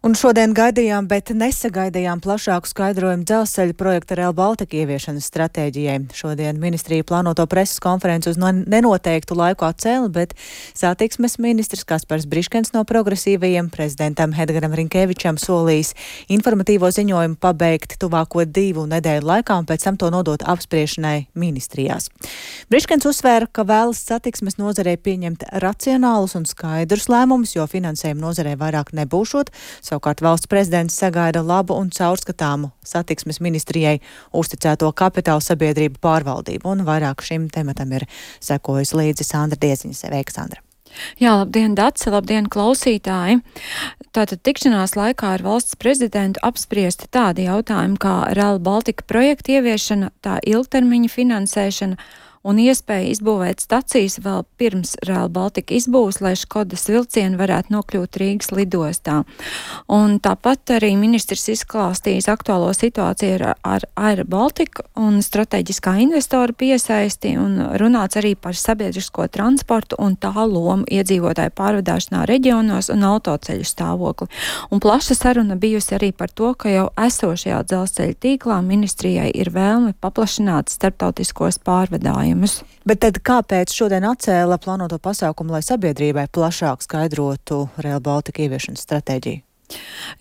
Un šodien gaidījām, bet nesagaidījām plašāku skaidrojumu dzelzceļa projekta Rail Baltica ieviešanas stratēģijai. Šodien ministrija plānoto preses konferenci uz nenoteiktu laiku atcēla, bet satiksmes ministrs Kaspars Briškens no progresīvajiem prezidentam Edgaram Rinkevičam solījis informatīvo ziņojumu pabeigt tuvāko 2 nedēļu laikā un pēc tam to nodot apspriešanai ministrijās. Briškens uzsvēra, ka vēlas satiksmes nozarei pieņemt racionālus un skaidrus lēmumus, jo finansējumu nozarei vairāk nebūšot. Savukārt valsts prezidents sagaida labu un caurskatāmu satiksmes ministrijai uzticēto kapitāla sabiedrību pārvaldību, un vairāk šim tematam ir sekojusi līdzi Sandra Dieziņa. Sveika, Sandra! Jā, labdien, Dace, labdien, klausītāji! Tātad tikšanās laikā ar valsts prezidentu apspriesti tādi jautājumi kā Rail Baltica projekta ieviešana, tā ilgtermiņa finansēšana un iespēja izbūvēt stacijas vēl pirms Rail Baltica izbūves, lai Škodas vilcieni varētu nokļūt Rīgas lidostā. Un tāpat arī ministrs izklāstījis aktuālo situāciju ar Air Baltica un strateģiskā investora piesaisti, un runāts arī par sabiedrisko transportu un tā lomu iedzīvotāju pārvadāšanā reģionos un autoceļu stāvokli. Un plaša saruna bijusi arī par to, ka jau esošajā dzelzceļa tīklā ministrijai ir vēlme paplašināt starptautiskos pārvadājumus. Bet tad kāpēc šodien atcēla plānoto pasākumu, lai sabiedrībai plašāk skaidrotu Rail Baltica ieviešanas stratēģiju?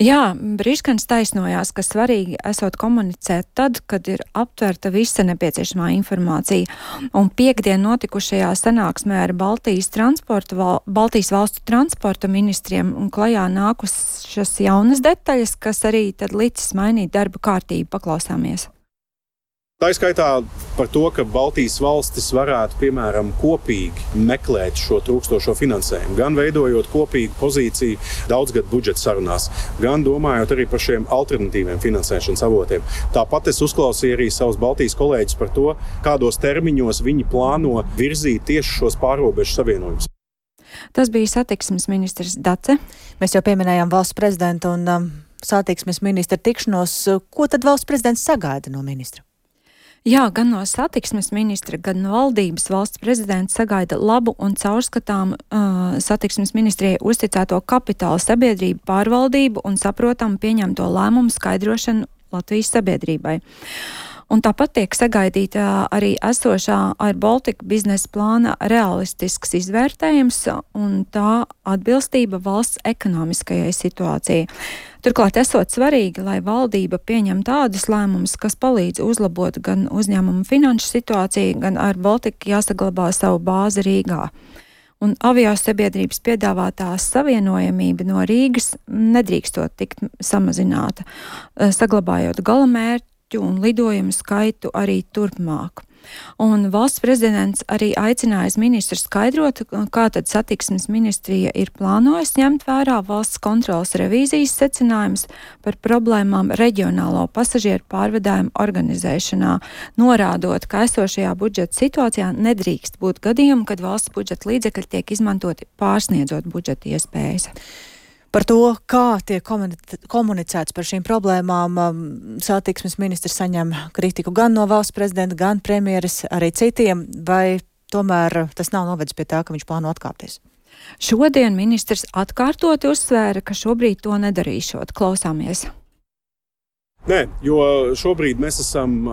Jā, Briškens taisnojās, ka svarīgi esot komunicēt tad, kad ir aptverta visa nepieciešamā informācija. Un piekdien notikušajā sanāksmē ar Baltijas valstu transporta ministriem un klajā nākušas jaunas detaļas, kas arī tad licis mainīt darba kārtību. Paklausāmies. Tā izskaitā par to, ka Baltijas valstis varētu, piemēram, kopīgi meklēt šo trūkstošo finansējumu, gan veidojot kopīgu pozīciju daudzgadu budžeta sarunās, gan domājot arī par šiem alternatīviem finansēšanas avotiem. Tāpat es uzklausīju arī savus Baltijas kolēģus par to, kādos termiņos viņi plāno virzīt tieši šos pārrobežu savienojumus. Tas bija satiksmes ministrs Dace. Mēs jau pieminējām valsts prezidentu un satiksmes ministra tikšanos. Ko tad valsts prezidents sagaida no ministra? Jā, gan no satiksmes ministra, gan no valdības valsts prezidents sagaida labu un caurskatāmu satiksmes ministrijai uzticēto kapitāla sabiedrību pārvaldību un saprotamu pieņemto lēmumu skaidrošanu Latvijas sabiedrībai. Un tāpat tiek sagaidīta arī esošā Air Baltica biznesa plāna realistisks izvērtējums un tā atbilstība valsts ekonomiskajai situācijai. Turklāt esot svarīgi, lai valdība pieņem tādus lēmumus, kas palīdz uzlabot gan uzņēmumu finanšu situāciju, gan Air Baltica jāsaglabā savu bāzi Rīgā. Un aviosabiedrības piedāvātā savienojamība no Rīgas nedrīkstot tikt samazināta, saglabājot galamērķi un lidojumu skaitu arī turpmāk. Un valsts prezidents arī aicinājis ministru skaidrot, kā tad satiksmes ministrija ir plānojis ņemt vērā valsts kontrolas revīzijas secinājumus par problēmām reģionālo pasažieru pārvadājumu organizēšanā, norādot, ka esošajā budžeta situācijā nedrīkst būt gadījumi, kad valsts budžeta līdzekļi tiek izmantoti pārsniedzot budžeta iespējas. Par to, kā tiek komunicēts par šīm problēmām, satiksmes ministrs saņem kritiku gan no valsts prezidenta, gan premjeras, arī citiem, vai tomēr tas nav novedis pie tā, ka viņš plāno atkāpties? Šodien ministrs atkārtoti uzsvēra, ka šobrīd to nedarīšot. Klausāmies. Nē, jo šobrīd mēs esam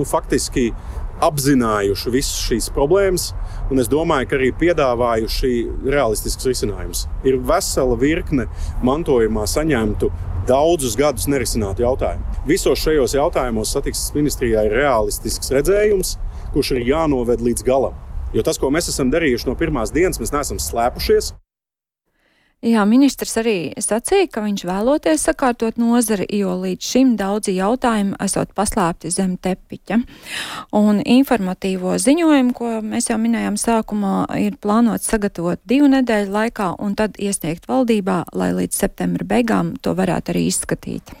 faktiski apzinājuši visas šīs problēmas, un es domāju, ka arī piedāvājuši realistisks risinājums. Ir vesela virkne mantojumā saņemtu daudzus gadus nerisinātu jautājumu. Visos šajos jautājumos satiksmes ministrijā ir realistisks redzējums, kurš ir jānoved līdz galam. Jo tas, ko mēs esam darījuši no pirmās dienas, mēs neesam slēpušies. Jā, ministrs arī sacīja, ka viņš vēloties sakārtot nozari, jo līdz šim daudzi jautājumi esot paslēpti zem tepiķa. Un informatīvo ziņojumu, ko mēs jau minējām sākumā, ir plānots sagatavot 2 nedēļu laikā un tad iesniegt valdībā, lai līdz septembra beigām to varētu arī izskatīt.